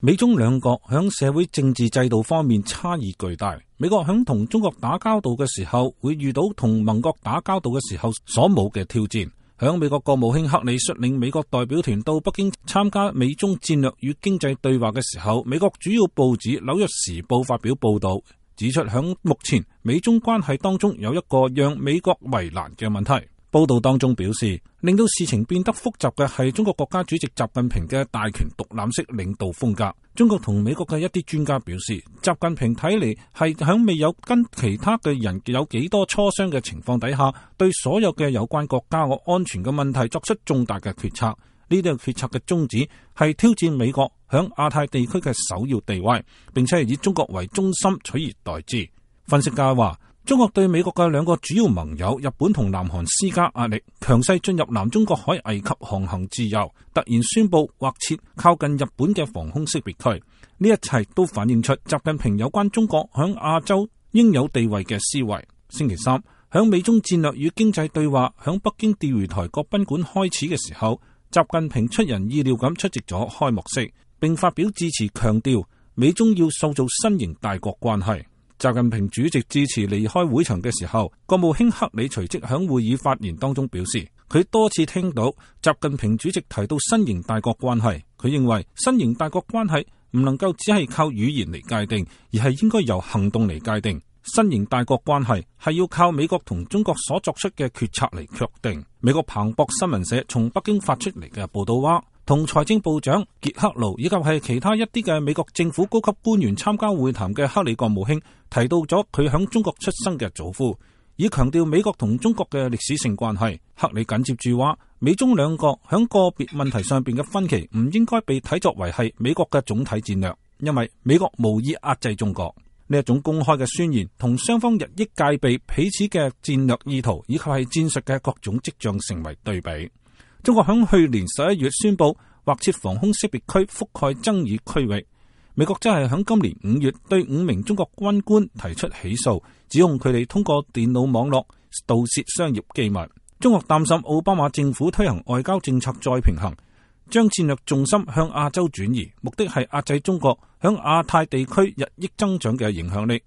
美中兩國響社會政治制度方面差異巨大。美國響同中國打交道嘅時候，會遇到同盟國打交道嘅時候所冇嘅挑戰。響美國國務卿克里率領美國代表團到北京參加美中戰略與經濟對話嘅時候，美國主要報紙《紐約時報》發表報道，指出響目前美中關係當中有一個讓美國為難嘅問題。報道當中表示，令到事情變得複雜嘅係中國國家主席習近平嘅大權獨攬式領導風格。中國同美國嘅一啲專家表示，習近平睇嚟係響未有跟其他嘅人有幾多磋商嘅情況底下，對所有嘅有關國家嘅安全嘅問題作出重大嘅決策。呢啲決策嘅宗旨係挑戰美國響亞太地區嘅首要地位，並且係以中國為中心取而代之。分析家話，中國對美國嘅兩個主要盟友日本同南韓施加壓力，強勢進入南中國海危及航行自由，突然宣布劃設靠近日本嘅防空識別區。呢一切都反映出習近平有關中國響亞洲應有地位嘅思維。星期三，響美中戰略與經濟對話響北京釣魚台國賓館開始嘅時候，習近平出人意料咁出席咗開幕式，並發表致辭，強調美中要塑造新型大國關係。習近平主席致辭離開會場嘅時候，國務卿克里隨即響會議發言當中表示，佢多次聽到習近平主席提到新型大國關係，佢認為新型大國關係唔能夠只係靠語言嚟界定，而係應該由行動嚟界定。新型大國關係係要靠美國同中國所作出嘅決策嚟確定。美國彭博新聞社從北京發出嚟嘅報道話，同財政部長傑克盧以及係其他一啲嘅美國政府高級官員參加會談嘅克里國務卿提到咗佢響中國出生嘅祖父，以強調美國同中國嘅歷史性關係。克里緊接住話，美中兩國響個別問題上邊嘅分歧唔應該被睇作為係美國嘅總體戰略，因為美國無意壓制中國。呢一種公開嘅宣言同雙方日益戒備彼此嘅戰略意圖以及係戰術嘅各種跡象成為對比。中國響去年11月宣布劃設防空識別區覆蓋爭議區域，美國則係響今年5月對5名中國軍官提出起訴，指控佢哋通過電腦網絡盜竊商業機密。中國擔心奧巴馬政府推行外交政策再平衡，將戰略重心向亞洲轉移，目的係壓制中國響亞太地區日益增長嘅影響力。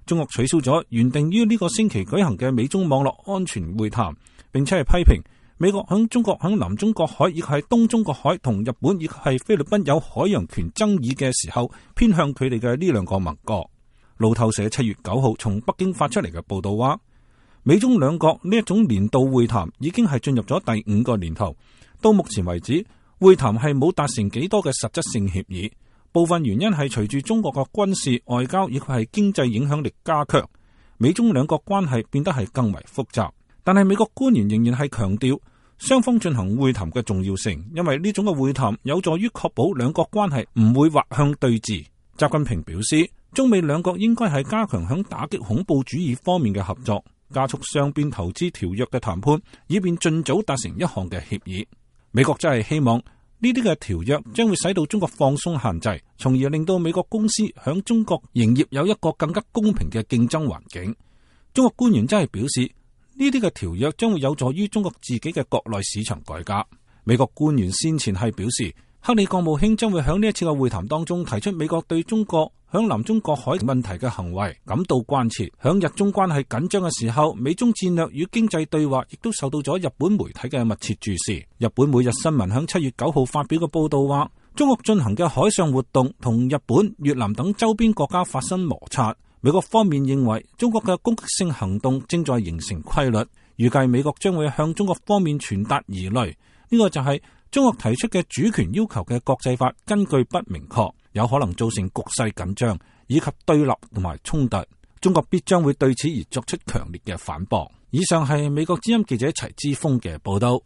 中國取消咗原定於呢個星期舉行嘅美中網絡安全會談，並且係批評美國響中國響南中國海以及係東中國海同日本以及係菲律賓有海洋權爭議嘅時候，偏向佢哋嘅呢兩個盟國。路透社7月9號從北京發出嚟嘅報道話，美中兩國呢一種年度會談已經係進入咗第5個年頭，到目前為止會談係冇達成幾多嘅實質性協議。部分原因係隨住中國嘅軍事、外交以及係經濟影響力加強，美中兩國關係變得係更為複雜。但係美國官員仍然係強調雙方進行會談嘅重要性，因為呢種嘅會談有助於確保兩國關係唔會滑向對峙。習近平表示，中美兩國應該係加強響打擊恐怖主義方面嘅合作，加速雙邊投資條約嘅談判，以便盡早達成一項嘅協議。美國真係希望呢啲嘅條約將會使到中國放鬆限制，從而令到美國公司響中國營業有一個更加公平嘅競爭環境。中國官員真係表示，呢啲嘅條約將會有助於中國自己嘅國內市場改革。美國官員先前係表示，克里國務卿將會喺呢一次嘅會談當中提出美國對中國響南中國海問題嘅行為感到關切。響日中關係緊張嘅時候，美中戰略與經濟對話亦都受到咗日本媒體嘅密切注視。日本每日新聞響7月9號發表嘅報道話，中國進行嘅海上活動同日本、越南等周邊國家發生摩擦。美國方面認為中國嘅攻擊性行動正在形成規律，預計美國將會向中國方面傳達疑慮。呢個就係中國提出嘅主權要求嘅國際法根據不明確，有可能造成局勢緊張以及對立同埋衝突。中國必將會對此而作出強烈嘅反駁。以上係美國之音記者齊之鋒嘅報道。